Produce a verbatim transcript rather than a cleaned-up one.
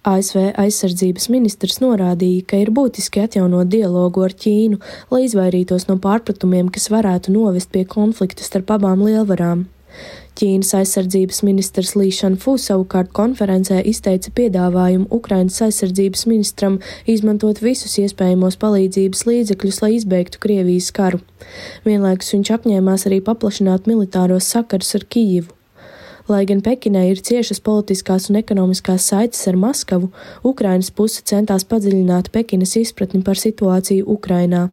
A S V aizsardzības ministrs norādīja, ka ir būtiski atjaunot dialogu ar Ķīnu, lai izvairītos no pārpratumiem, kas varētu novest pie konflikta starp abām lielvarām. Ķīnas aizsardzības ministrs Li Šanfu savukārt konferencē izteica piedāvājumu Ukrainas aizsardzības ministram izmantot visus iespējamos palīdzības līdzekļus, lai izbeigtu Krievijas karu. Vienlaikus viņš apņēmās arī paplašināt militāros sakarus ar Kijivu. Lai gan Pekinai ir ciešas politiskās un ekonomiskās saites ar Maskavu, Ukrainas puse centās padziļināt Pekinas izpratni par situāciju Ukrainā.